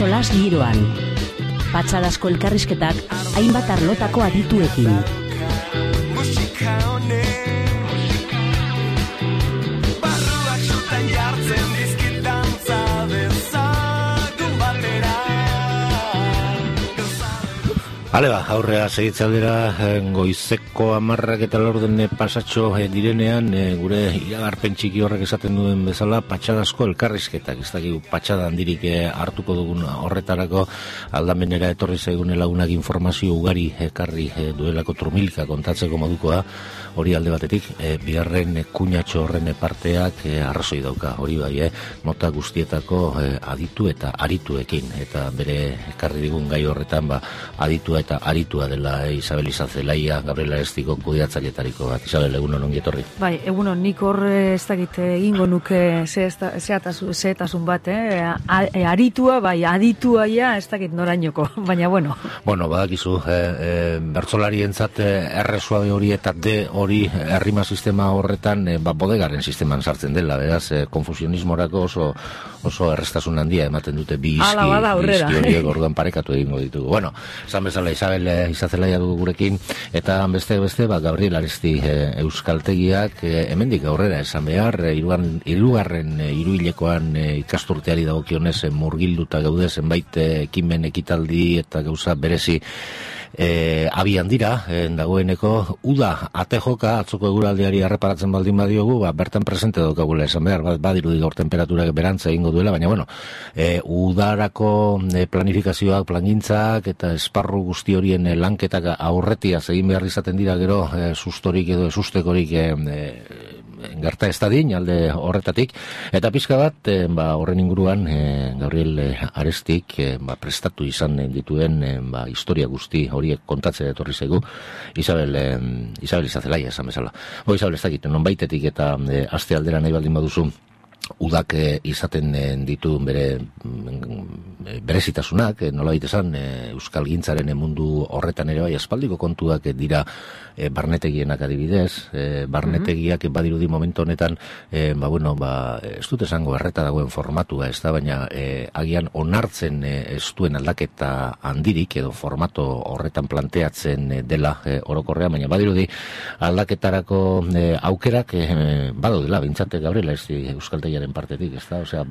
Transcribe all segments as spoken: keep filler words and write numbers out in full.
solas giroan. Patxadazko elkarrizketak hainbat arlotako adituekin. Hale ba, aurrea segitzaldera goizeko hamarrak eta laurden pasatxo direnean gure iragarpen txiki horrek esaten duen bezala patxadazko elkarrizketak, ez dakigu patxada handirik hartuko dugun horretarako aldamenera etorri zaigun lagunak informazio ugari ekarri duelako trumilka kontatzeko modukoa, hori alde batetik, bigarren kuñatxo horren parteak arrazoi dauka, hori bai, mota guztietako aditu eta arituekin, eta bere ekarri digun gai horretan ba, aditua eta aritua dela eh, Isabel Izazelaia, Gabriela Estiko kudeatzailetariko bat. Isabel, egunon ongi etorri. Bai, egunon, nik hor ez dakit egingo nuke zehetasun bat, eh? A, e, aritua, bai, aditua ja, ez dakit norainoko, baina bueno. Bueno, badakizu, eh, eh, bertsolarientzat erresua hori eta de hori errima sistema horretan eh, ba, bodegaren sisteman sartzen dela, beraz, eh, konfusionismorako oso, oso errestasun handia ematen dute bi izki, izki horiek orduan parekatu egingo ditugu. Bueno, esan bezala Isabel e, Izazelaia dugu gurekin, eta beste beste ba, Gabriel Aresti e, euskaltegiak e, hemendik aurrera esan behar, e, irugarren, irugarren e, iruilekoan e, ikasturteari dagokionez e, murgilduta gaude zenbait ekimen ekitaldi eta gauza berezi E, abian dira, e, dagoeneko uda ate joka, atzoko eguraldiari arreparatzen baldin badiogu, ba, bertan presente daukagula esan behar, bat, badirudi gaur temperaturak berantza egingo duela, baina bueno, e, udarako e, planifikazioak, plangintzak eta esparru guzti horien e, lanketak aurretia egin behar izaten dira gero e, sustorik edo esustekorik e, e, gerta ez dadin, alde horretatik, eta pizka bat, e, ba, horren inguruan e, Gabriel e, Arestik e, ba, prestatu izan dituen e, ba, historia guzti horiek kontatzea etorri zaigu Isabel, e, Isabel Izazelaia esan bezala. Bo, Isabel ez dakit, non baitetik eta e, aste aldera nahi baldin baduzu udak e, izaten e, ditu bere e, berezitasunak, e, nola esan e, euskal gintzaren mundu horretan ere bai aspaldiko kontuak e, dira e, barnetegienak adibidez, e, barnetegiak mm-hmm. badirudi momentu honetan e, ba bueno, ba, ez dut esango erreta dagoen formatua, ez da, baina e, agian onartzen e, ez duen aldaketa handirik edo formato horretan planteatzen e, dela e, orokorrea, baina badirudi aldaketarako e, aukerak e, badaudela, bintzate Gabriela ez euskaltegiaren partetik, ez da, osea,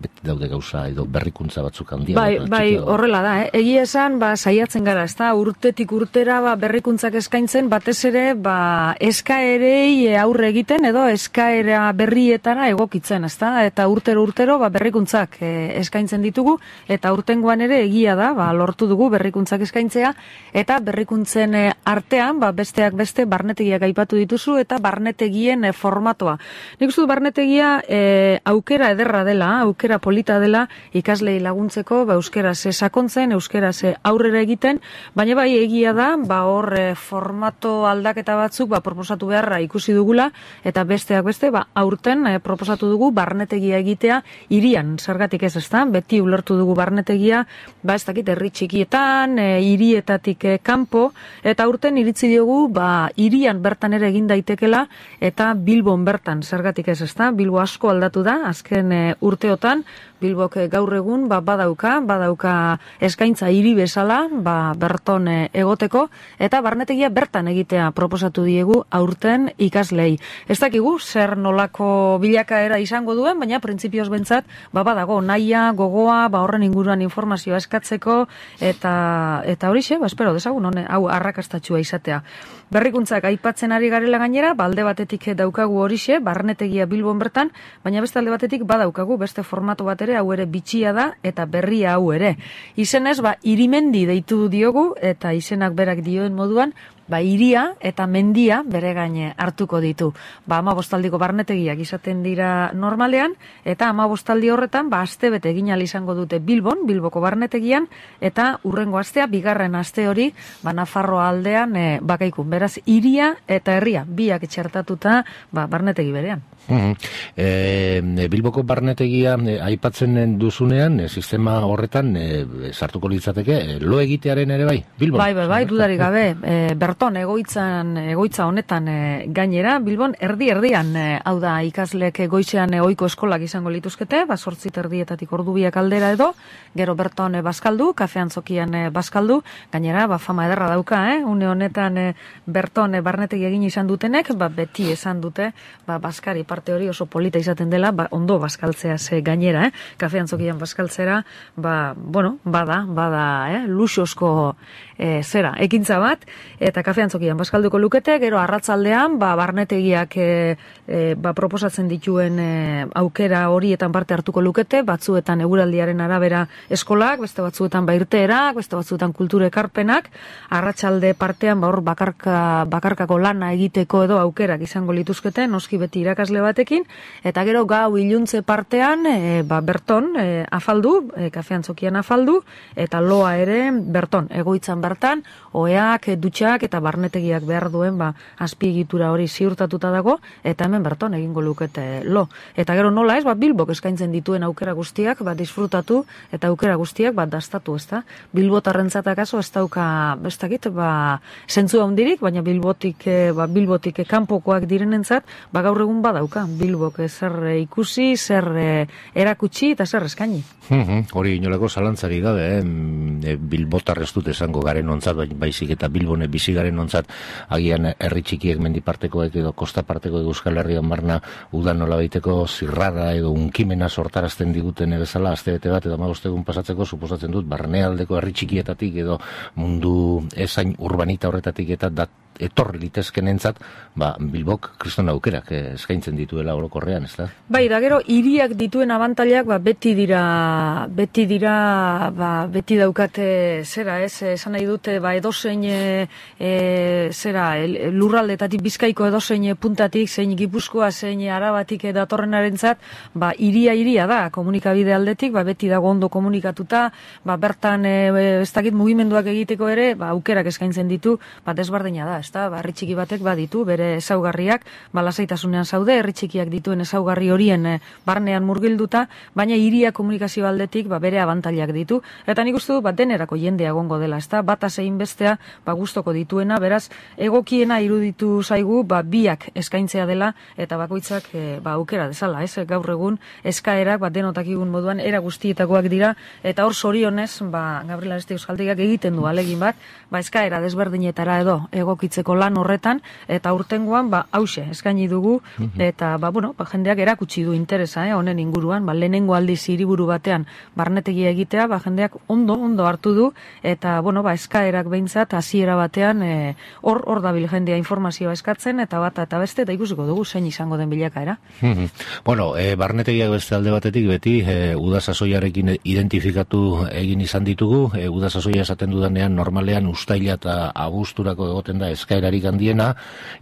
beti daude gauza edo berrikuntza batzuk handia. Bai, bai, horrela da, eh? Egia esan, ba, saiatzen gara, ez da, urtetik urtera ba, berrikuntzak eskaintzen, batez ere, ba, eskaerei aurre egiten, edo eskaera berrietara egokitzen, ez da, eta urtero urtero ba, berrikuntzak eh, eskaintzen ditugu, eta urtengoan ere egia da, ba, lortu dugu berrikuntzak eskaintzea, eta berrikuntzen eh, artean, ba, besteak beste, barnetegiak aipatu dituzu, eta barnetegien eh, formatoa. Nik uste du barnetegia eh, aukera ederra dela, aukera polita dela ikaslei laguntzeko, ba, euskeraz sakontzen, euskeraz aurrera egiten, baina bai egia da, ba, hor formato aldaketa batzuk ba, proposatu beharra ikusi dugula, eta besteak beste, ba, aurten eh, proposatu dugu barnetegia egitea hirian, zergatik ez ezta, beti ulertu dugu barnetegia, ba, ez dakit, herri txikietan, e, hirietatik e, kanpo, eta aurten iritzi diogu, ba, hirian bertan ere egin daitekela, eta Bilbon bertan, zergatik ez ezta, Bilbo asko aldatu da, azken e, urteotan, Bilbok gaur egun ba, badauka, badauka eskaintza hiri bezala, ba, berton e, egoteko, eta barnetegia bertan egitea proposatu diegu aurten ikaslei. Ez dakigu, zer nolako bilakaera izango duen, baina printzipioz bentsat, ba, badago, nahia, gogoa, ba, horren inguruan informazioa eskatzeko, eta eta horixe, ba, espero, dezagun, hone, hau arrakastatxua izatea. Berrikuntzak aipatzen ari garela gainera, ba, alde batetik daukagu horixe, barnetegia Bilbon bertan, baina beste alde batetik badaukagu beste formato bat ere, hau ere bitxia da, eta berria hau ere. Izenez, ba, irimendi deitu diogu, eta izenak berak dioen moduan, ba, iria eta mendia bere gaine hartuko ditu. Ba, hamabostaldiko barnetegiak izaten dira normalean, eta hamabostaldi horretan, ba, astebete egin ahal izango dute Bilbon, Bilboko barnetegian, eta urrengo astea, bigarren aste hori, ba, Nafarroa aldean e, bakaikun. Beraz, iria eta herria, biak txertatuta, ba, barnetegi berean. Mm-hmm. E, Bilboko barnetegia e, aipatzen duzunean, e, sistema horretan e, sartuko litzateke, e, lo egitearen ere bai, Bilbon? Bai, bai, bai, dudarik gabe. E, berton egoitzan, egoitza honetan e, gainera, Bilbon erdi erdian, e, hau da ikaslek goizean e, ohiko eskolak izango lituzkete, ba sortzi erdietatik ordu biak aldera edo, gero berton e, bazkaldu, kafean zokian e, bazkaldu, gainera ba fama ederra dauka, eh? Une honetan e, berton e, barnetegi egin izan dutenek, ba beti esan dute, ba bazkari parte hori oso polita izaten dela, ba ondo bazkaltzea ze gainera, eh? Kafean zokian bazkaltzera, ba bueno, bada, bada, eh? Luxosko e, zera, ekintza bat, eta kafean zokian bazkalduko lukete, gero arratzaldean, ba, barnetegiak e, e, ba, proposatzen dituen e, aukera horietan parte hartuko lukete, batzuetan eguraldiaren arabera eskolak, beste batzuetan ba irteerak, beste batzuetan kultura ekarpenak, arratsalde partean ba hor bakarka, bakarkako lana egiteko edo aukerak izango lituzkete, noski beti irakasle batekin, eta gero gau iluntze partean, e, ba, berton e, afaldu, e, kafean zokian afaldu, eta loa ere berton, egoitzan bertan, oeak, dutxak eta barnetegiak behar duen ba, azpiegitura hori ziurtatuta dago, eta hemen berton egingo lukete lo. Eta gero nola ez, ba, Bilbok eskaintzen dituen aukera guztiak, ba, disfrutatu, eta aukera guztiak, ba, dastatu, ez da? Bilbotarrentzat akaso ez dauka, ez dakit, ba, zentzu handirik, baina Bilbotik, ba, Bilbotik kanpokoak direnentzat, ba, gaur egun badauka, Bilbok zer ikusi, zer erakutsi, eta zer eskaini. Hori inolako zalantzari gabe, eh? Bilbotar ez dut esango garen ontzat, baizik eta Bilbone bizi garen ontzat, agian herri txikiek mendipartekoek edo kostapartekoek Euskal Herrian barna udan nola baiteko zirrara edo unkimena sortarazten diguten bezala, astebete bat edo hamabost egun pasatzeko, suposatzen dut, barnealdeko herri txikietatik edo mundu ezain urbanita horretatik eta dat etorri litezkenentzat, ba, Bilbok kriston aukerak eskaintzen dituela orokorrean, ez da? Bai, da gero, hiriak dituen abantailak, ba, beti dira, beti dira, ba, beti daukate, zera, ez, esan nahi dute, ba, edozein, e, e, zera, lurraldetatik Bizkaiko edozein puntatik, zein Gipuzkoa, zein Arabatik datorrenarentzat, ba, hiria hiria da, komunikabide aldetik, ba, beti dago ondo komunikatuta, ba, bertan, e, ez dakit mugimenduak egiteko ere, ba, aukerak eskaintzen ditu, ba, desberdina da, ez da, ba, herri txiki batek baditu, bere ezaugarriak, ba, lasaitasunean zaude, herri txikiak dituen ezaugarri horien e, barnean murgilduta, baina hiria komunikazio aldetik, ba, bere abantailak ditu, eta nik uste du, ba, denerako jendea egongo dela, ez da, bata zein bestea, ba, gustoko dituena, beraz, egokiena iruditu zaigu, ba, biak eskaintzea dela, eta bakoitzak, e, ba, aukera dezala, ez, gaur egun, eskaerak, ba, denotakigun moduan, era guztietakoak dira, eta hor zorionez, ba, Gabriel Aresti Euskaltegiak egiten du alegin bat, ba, eskaera desberdinetara edo egokitzeko lan horretan, eta urtengoan, ba, hause, eskaini dugu, eta, ba, bueno, ba, jendeak erakutsi du interesa, eh, honen inguruan, ba, lehenengo aldiz hiriburu batean barnetegia egitea, ba, jendeak ondo, ondo hartu du, eta, bueno, ba, eskaerak behintzat, hasiera batean, e, hor, hor dabil jendea informazioa eskatzen, eta bata eta beste, eta ikusiko dugu, zein izango den bilakaera. Bueno, e, barnetegiak beste alde batetik, beti, e, udasasoiarekin identifikatu egin izan ditugu, e, udasasoia esaten dudanean, normalean, ustaila eta abuzturako egoten da eskaerarik handiena,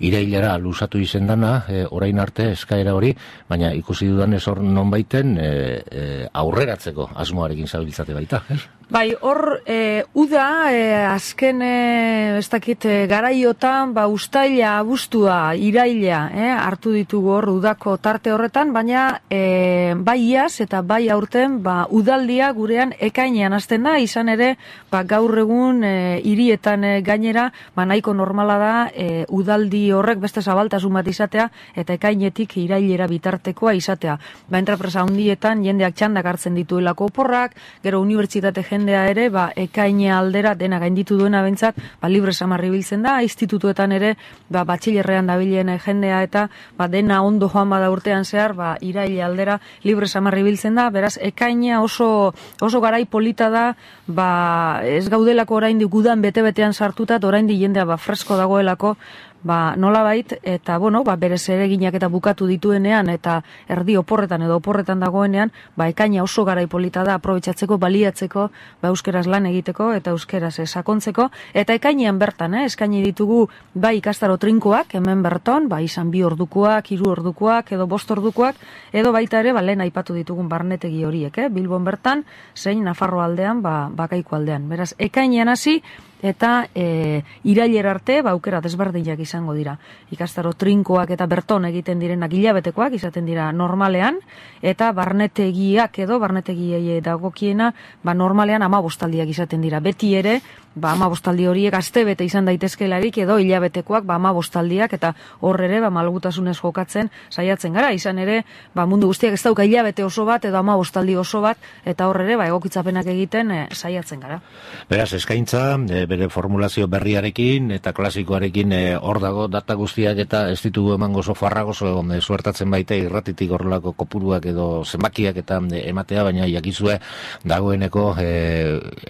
irailara luzatu izen dana, e, orain arte eskaera hori, baina ikusi dudanez hor non baiten, e, e, aurreratzeko asmoarekin zabiltzate baita, ez? Bai, hor, e, uda, e, azken, e, ez dakit, e, garaiotan, ba, ustaila, abuztua, iraila, e, hartu ditugu hor udako tarte horretan, baina e, bai iaz eta bai aurten, ba, udaldia gurean ekainean hasten da, izan ere, ba, gaur egun e, hirietan e, gainera, ba, nahiko normala da, e, udaldi horrek beste zabaltasun bat izatea, eta ekainetik irailera bitartekoa izatea. Ba, entrapresa handietan, jendeak txandak hartzen dituelako oporrak, gero unibertsitate jendea ere, ba, ekaine aldera dena gainditu duena bentsat, ba, libre samarri biltzen da, institutuetan ere, ba, batxilerrean dabilen jendea eta, ba, dena ondo joan bada urtean zehar, ba, iraile aldera libre samarri biltzen da, beraz, ekaina oso, oso garai polita da, ba, ez gaudelako oraindik gudan bete-betean sartuta, oraindik jendea, ba, fresko dagoelako, ba, nolabait, eta, bueno, ba, bere zereginak eta bukatu dituenean, eta erdi oporretan edo oporretan dagoenean, ba, ekaina oso garai polita da, aprobetxatzeko, baliatzeko, ba, euskeraz lan egiteko, eta euskeraz sakontzeko, eta ekainean bertan, eh, eskaini ditugu, bai, ikastaro trinkoak, hemen berton, ba, izan bi ordukoak, hiru ordukoak, edo bost ordukoak, edo baita ere, ba, lehen aipatu ditugun barnetegi horiek, eh, Bilbon bertan, zein Nafarro aldean, ba, Bakaiko aldean. Beraz, ekainean hasi, eta e, irailera arte, ba, aukera desberdinak izango dira. Ikastaro trinkoak eta berton egiten direnak hilabetekoak izaten dira normalean, eta barnetegiak edo barnetegiei dagokiena, ba normalean amabostaldiak izaten dira. Beti ere, ba amabostaldi horiek astebete izan daitezkelarik edo hilabetekoak ba amabostaldiak, eta hor ere ba malgutasunez jokatzen saiatzen gara. Izan ere, ba mundu guztiak ez dauka hilabete oso bat edo amabostaldi oso bat, eta hor ere ba egokitzapenak egiten e, saiatzen gara. Beraz, eskaintza, e, bere formulazio berriarekin eta klasikoarekin hor e, dago data guztiak, eta ez ditugu emango oso farrago, e, suertatzen baita irratitik horrelako kopuruak edo zenbakiak eta e, ematea, baina jakizue dagoeneko e,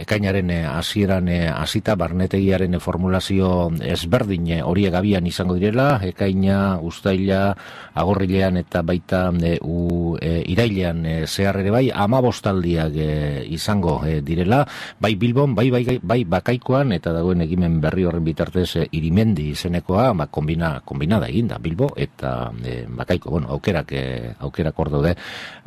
ekainaren hasieran e, hasita barnetegiaren formulazio ezberdin horiek abian izango direla, ekaina, uztaila, agorrilean eta baita e, u, e, irailean e, zehar ere bai, amabostaldiak e, izango e, direla, bai Bilbon, bai, bai, bai Bakaikoan, eta dagoen ekimen berri horren bitartez e, Irimendi izenekoa, ba, kombina, kombinada egin da Bilbo eta e, Bakaiko, bueno, aukerak, e, aukerak hor daude,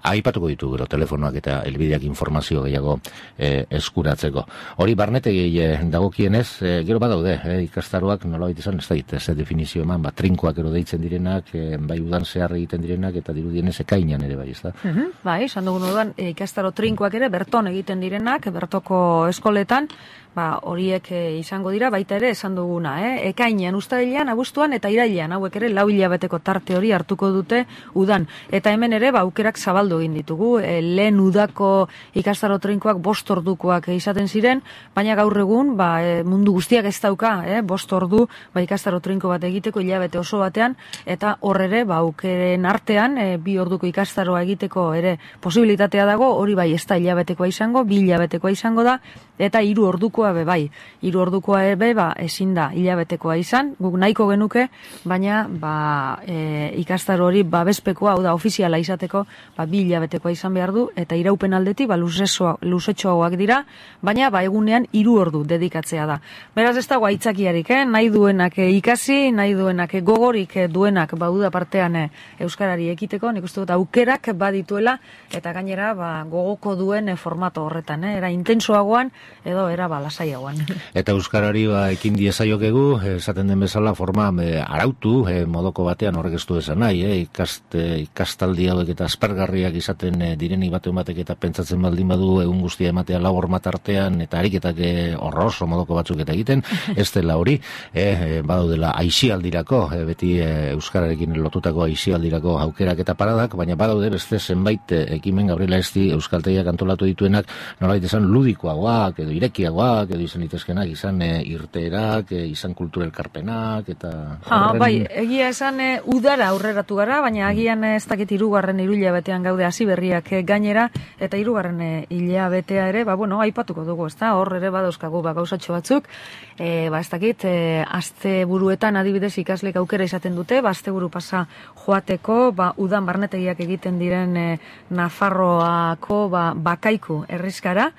aipatuko ditu gero telefonoak eta helbideak informazio gehiago e, eskuratzeko. Hori barnetegi e, dagokienez, e, gero badaude, e, ikastaroak nolabait izan, ez da, ez definizio eman, ba, trinkoak ero deitzen direnak, e, bai udan zehar egiten direnak, eta dirudienez ekainan ere bai, ez da? Uh-huh, bai, esan dugun udan, e, ikastaro trinkoak ere berton egiten direnak, bertoko eskoletan, ba, horiek e, izango dira, baita ere esan duguna, eh? Ekainean, uztailean, abuztuan eta irailean, hauek ere lau hilabeteko tarte hori hartuko dute udan. Eta hemen ere, ba, aukerak zabaldu egin ditugu, e, lehen udako ikastaro trinkoak bost ordukoak izaten ziren, baina gaur egun, ba, e, mundu guztiak ez dauka, eh? bost ordu, ba, ikastaro trinko bat egiteko hilabete oso batean, eta hor ere, ba, aukeren artean, e, bi orduko ikastaroa egiteko ere posibilitatea dago, hori bai ez da hilabetekoa izango, bi hilabetekoa izango da, eta hiru ordukoa be bai. Hiru ordukoa ere ba ezin da hilabetekoa izan, guk nahiko genuke, baina ba e, ikastaro hori babespekoa, hau da ofiziala izateko, ba bi hilabetekoa izan behar du, eta iraupen aldetik ba luzesoa, luzetxoagoak dira, baina ba egunean hiru ordu dedikatzea da. Beraz ez dago aitzakiarik, eh? Nahi duenak ikasi, nahi duenak gogorik duenak ba uda partean eh, euskarari ekiteko, nik uste dut aukerak badituela, eta gainera ba gogoko duen eh, formato horretan, eh? Era intensoagoan edo era ba lasaiagoan. Eta euskarari ba ekin diezaiokegu, esaten den bezala forma e, arautu e, modoko batean horrek ez du esan nahi, e, ikast, e, ikastaldi hauek eta aspergarriak izaten e, direnik batu ematek eta pentsatzen baldin badu egun guztia ematea lau hormat artean eta ariketak e, horroso modoko batzuk eta egiten, ez dela hori, e, e, badaudela aixialdirako, e, beti e, euskararekin lotutako aixialdirako aukerak eta paradak, baina badaude beste zenbait e, ekimen Gabriela Esti euskaltegiak antolatu dituenak, nolabait esan ludikoagoak edo irekiagoak edo izan itezkenak, izan e, irteerak, e, izan kulturelkarpenak eta ha, horren... Bai, egia esan e, udara aurreratu gara, baina agian ez dakit hirugarren hilabetean gaude hasi berriak e, gainera, eta hirugarren e, hilabetea ere, ba bueno, aipatuko dugu, ezta? Hor ere badauzkagu ba gauzatxo batzuk, e, ba ez dakit, e, asteburuetan adibidez ikaslek aukera izaten dute, ba asteburu pasa joateko, ba udan barnetegiak egiten diren e, Nafarroako ba Bakaiku herrizkara.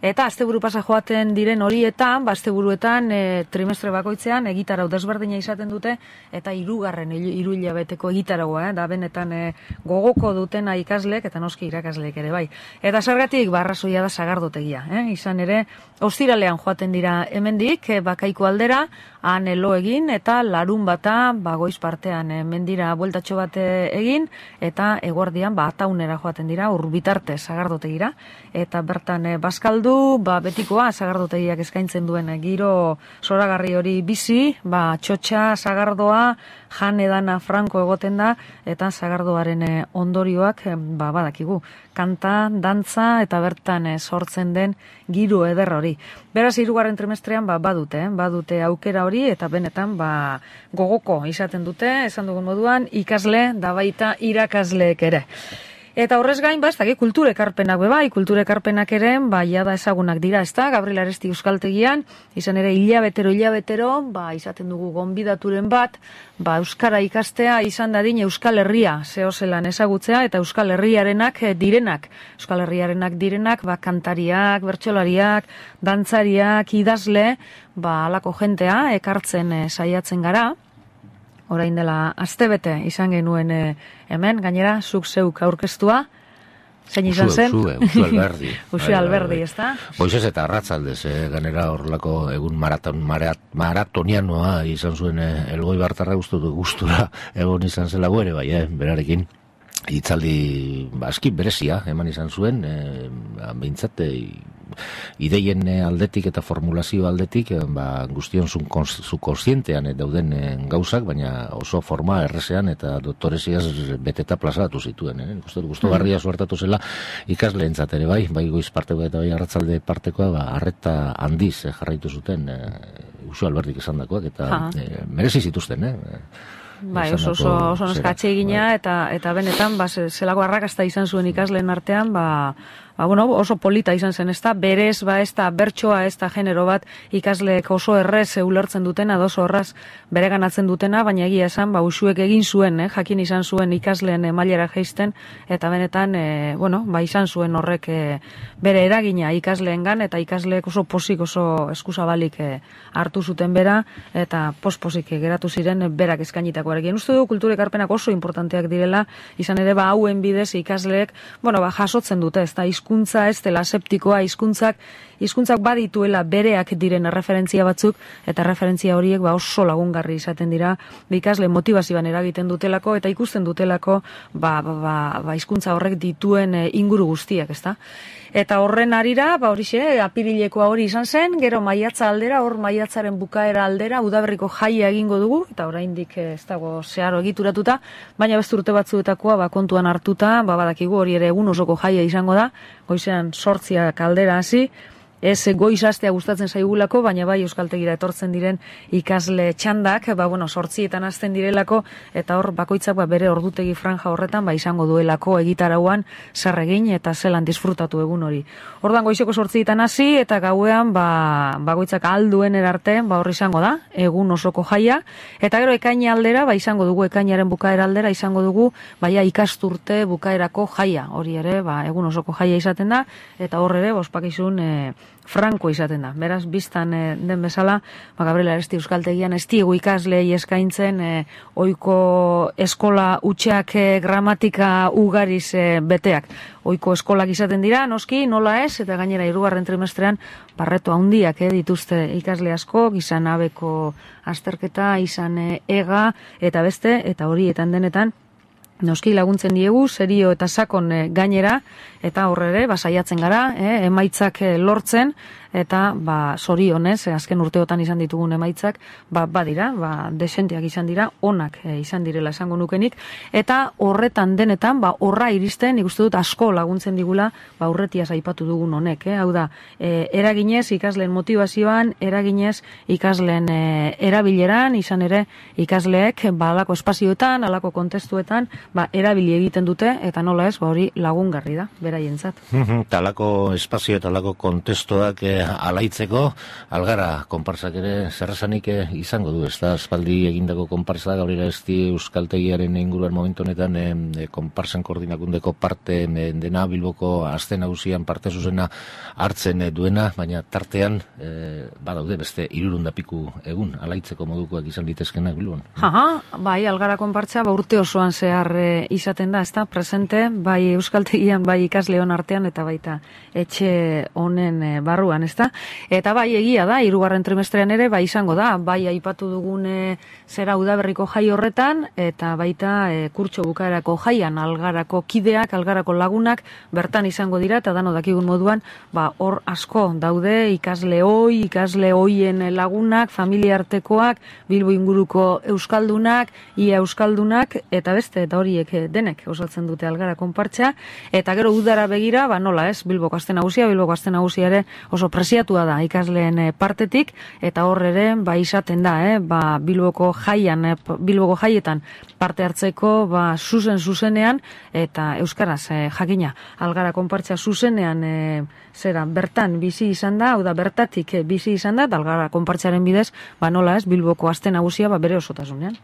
Eta asteburu pasa joaten diren horietan, ba asteburuetan e, trimestre bakoitzean egitarau desberdina izaten dute, eta hirugarren hiru hilabeteko egitaragoa, eh, da benetan e, gogoko dutena ikaslek eta noski irakaslek ere bai. Eta zergatik ba arrazoia da sagardotegia, eh? Izan ere ostiralean joaten dira hemendik e, Bakaiko aldera, han elo egin eta larun bata ba goiz partean e, mendira bueltatxo bat egin, eta eguerdian ba ataunera joaten dira ur bitarte sagardotegira, eta bertan e, bazkaldu ba betikoa sagardotegiak eskaintzen duen giro zoragarri hori bizi, ba txotxa, sagardoa, jan edana franko egoten da, eta sagardoaren ondorioak ba badakigu, kanta, dantza eta bertan sortzen den giro eder hori. Beraz hirugarren trimestrean ba badute, eh? badute aukera hori, eta benetan ba gogoko izaten dute, esan dugun moduan, ikasle da baita irakasleek ere. Eta horrez gain, ba, ez da, kulturekarpenak be bai, kulturekarpenak ere, ba, jada ezagunak dira, ez da, Gabriela Aresti euskaltegian, izan ere hilabetero, hilabetero, ba, izaten dugu gonbidaturen bat, ba, euskara ikastea izan dadin Euskal Herria zehozelan ezagutzea, eta Euskal Herriarenak direnak, Euskal Herriarenak direnak, ba, kantariak, bertsolariak, dantzariak, idazle, ba, alako jentea, ekartzen e, saiatzen gara. Orain dela astebete izan genuen e, hemen, gainera, zuk zeuk aurkeztua, Zein izan zen? Usue, Usue Alberdi. Usue Alberdi, ez da? Goizez eta arratzaldez, eh, ganera horrelako egun maraton, marat, maratonianoa izan zuen eh, Elgoi Bartarra gustura egon izan zela ere, bai, eh, berarekin. Hitzaldi aski berezia eman izan zuen, e, behintzat e, ideien aldetik eta formulazio aldetik e, ba, guztion zu kontzientean dauden e, gauzak, baina oso forma errezean eta doktoreziaz beteta plazatu zituen. Eh? Gusto garria suertatu zela ikasleentzat ere bai, bai goiz parteko eta bai arratzalde partekoa, ba, arreta handiz e, jarraitu zuten e, Usue Alberdik esandakoak eta e, merezi zituzten, eh? Bai, oso oso oso neskatxe egina eta eta benetan ba zelako arrakasta izan zuen ikasleen artean, ba Ba, bueno, oso polita izan zen, ezta, berez, ba, ez da, bertsoa, ez da, genero bat, ikasleek oso errez ulertzen dutena, oso horraz bereganatzen dutena, baina egia esan, ba, Usuek egin zuen, eh, jakin izan zuen ikasleen e, mailera jaisten, eta benetan, e, bueno, ba, izan zuen horrek e, bere eragina ikasleengan, eta ikasleek oso posik, oso eskuzabalik e, hartu zuten bera, eta posposik e, geratu ziren e, berak eskainitakoarekin. Uste du, kultura ekarpenak oso importanteak direla, izan ere, ba, hauen bidez ikasleek, bueno, ba, jasotzen dute, ez da, hizkuntza ez dela aseptikoa, hizkuntzak hizkuntzak badituela bereak diren referentzia batzuk, eta referentzia horiek ba oso lagungarri izaten dira ikasle motivazioan eragiten dutelako eta ikusten dutelako ba ba ba, ba hizkuntza horrek dituen e, inguru guztiak, ezta? Eta horren arira, ba horixe, apirilekoa hori izan zen, gero maiatza aldera, hor maiatzaren bukaera aldera, udaberriko jaia egingo dugu, eta oraindik ez dago zeharo egituratuta, baina beste urte batzuetakoa ba, kontuan hartuta, ba, badakigu hori ere egun osoko jaia izango da, goizean sortziak aldera hasi, ez goiz astea gustatzen zaigulako, baina bai euskaltegira etortzen diren ikasle txandak, ba, bueno, sortzietan hasten direlako, eta hor bakoitzak ba, bere ordutegi franja horretan ba, izango duelako egitarauan zer egin eta zelan disfrutatu egun hori. Ordan goizeko sortzietan hasi eta gauean ba, bakoitzak alduen erarte ba, hor izango da, egun osoko jaia, eta gero ekaina aldera, ba, izango dugu ekainaren bukaera aldera, izango dugu baia ikasturte bukaerako jaia, hori ere, ba, egun osoko jaia izaten da, eta hor ere, bospakizun, e, franko izaten da. Beraz, biztan e, den bezala, ba, Gabriela Aresti euskaltegian ez diegu ikaslei eskaintzen e, ohiko eskola utxeak e, gramatika ugariz e, beteak. Ohiko eskolak izaten dira, noski, nola ez, eta gainera hirugarren trimestrean barreto handiak e, dituzte ikasle asko, izan abeko azterketa, izan e, ega, eta beste, eta horietan denetan, noski laguntzen diegu, serio eta sakon e, gainera, eta horrere, ba, saiatzen gara, e, emaitzak e, lortzen, eta ba sorionez, azken urteotan izan ditugun emaitzak, ba badira, ba desentiak izan dira, onak e, izan direla esango nukenik, eta horretan denetan, ba horra iristen, ikuste dut asko laguntzen digula, ba aurretiaz aipatu dugun honek, eh? Hau da, e, eraginez ikasleen motivazioan, eraginez ikasleen e, erabileran, izan ere ikasleek ba alako espazioetan, alako kontestuetan, ba erabili egiten dute, eta nola ez, ba hori lagungarri da, beraientzat. Talako espazio eta alako kontestuak e, alaitzeko, algara konparsak ere zerrazanik izango du, ez da, espaldi egindako konparsa, Gabriela Aresti euskaltegiaren inguruan momentu honetan e, konparsan koordinakundeko parte e, dena Bilboko aste nagusian parte zuzena hartzen e, duena, baina tartean e, badaude beste hirurehun piku egun alaitzeko modukoak izan litezkenak Bilbon. Aha, bai, algara konpartsa ba urte osoan zehar e, izaten da, ez da, presente, bai euskaltegian, bai ikasleon artean, eta baita etxe honen e, barruan, ez da? Eta bai egia da, hirugarren trimestrean ere, bai izango da, bai aipatu dugune zera udaberriko jai horretan, eta baita e, kurtso bukaerako jaian, algarako kideak, algarako lagunak, bertan izango dira, eta dano dakigun moduan, ba hor asko daude, ikasle hoi, ikasle hoien lagunak, familia artekoak, Bilbo inguruko euskaldunak, ia euskaldunak, eta beste, eta horiek denek osatzen dute algara konpartsa, eta gero udara begira, ba nola ez, Bilboko aste nagusia, Bilboko aste nagusia ere oso presiatua da ikasleen partetik, eta hor ere ba izaten da, eh, ba Bilboko jaian, eh, Bilboko jaietan parte hartzeko ba zuzen zuzenean eta euskaraz eh, jakina algara konpartsa zuzenean eh, zera bertan bizi izan da, hau da bertatik eh, bizi izan da, algara konpartsaren bidez, ba nola ez Bilboko aste nagusia ba bere osotasunean.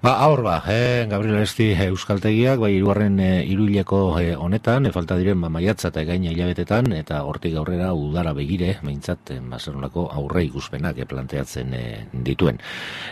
Ba, aur ba, eh, Gabriel Aresti euskaltegiak, bai, irugarren eh, iruileko eh, honetan, eh, falta diren ba, maiatza eta gaina hilabetetan, eta hortik aurrera udara begire, meintzat, eh, bazerunako aurre ikuspenak eh, planteatzen eh, dituen.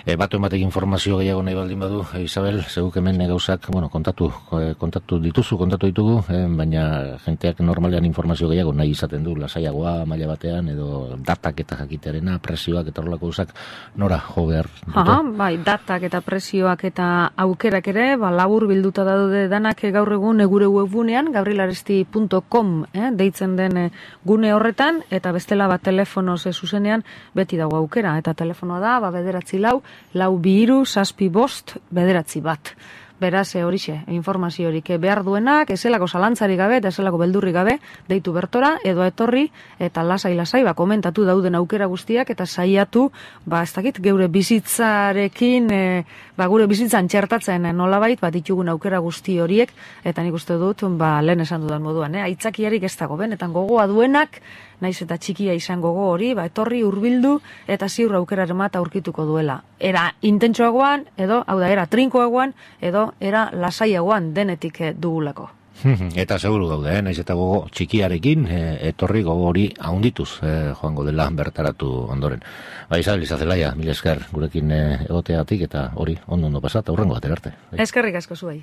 Eh, batu ematek informazio gehiago nahi baldin badu, eh, Isabel, zeguk hemen gauzak, bueno, kontatu, eh, kontatu dituzu, kontatu ditugu, eh, baina jenteak normalean informazio gehiago nahi izaten du, lasaiagoa, maila batean, edo datak eta jakitearena, presioak eta horrelako gauzak, nora jo behar dute? Aha, bai, datak eta presioak eta aukerak ere, ba, labur bilduta daude danak gaur egun gure webgunean, gabrielaresti punto com, eh, deitzen den eh, gune horretan, eta bestela bat telefonoz eh, zuzenean beti dago aukera, eta telefonoa da, ba, bederatzi lau, lau bi hiru, zazpi bost, bederatzi bat. Beraz, horixe, informazio horik behar duenak, ezelako zalantzari gabe, eta ezelako beldurri gabe, deitu bertora, edo etorri, eta lasai-lasai, ba, komentatu dauden aukera guztiak, eta saiatu, ba, ez dakit, geure bizitzarekin, e, ba, gure bizitzan txertatzen nolabait, bat ditugun aukera guzti horiek, eta nik uste dut, ba, lehen esan dudan moduan, eh? Aitzakiarik ez dago, benetan gogoa duenak, naiz eta txikia izan gogo hori, ba, etorri hurbildu eta ziur aukeraren bat aurkituko duela. Era intentsoagoan, edo, hau da, era trinkoagoan, edo era lasaiagoan denetik dugulako. Eta seguru gaude, eh? Naiz eta gogo txikiarekin, eh, etorri gogo hori haundituz eh, joango dela bertaratu ondoren. Ba, Isabel Izazelaia, mila esker gurekin eh, egoteatik eta hori ondo ondo pasat, aurrengo batera arte. Eskerrik asko zuei.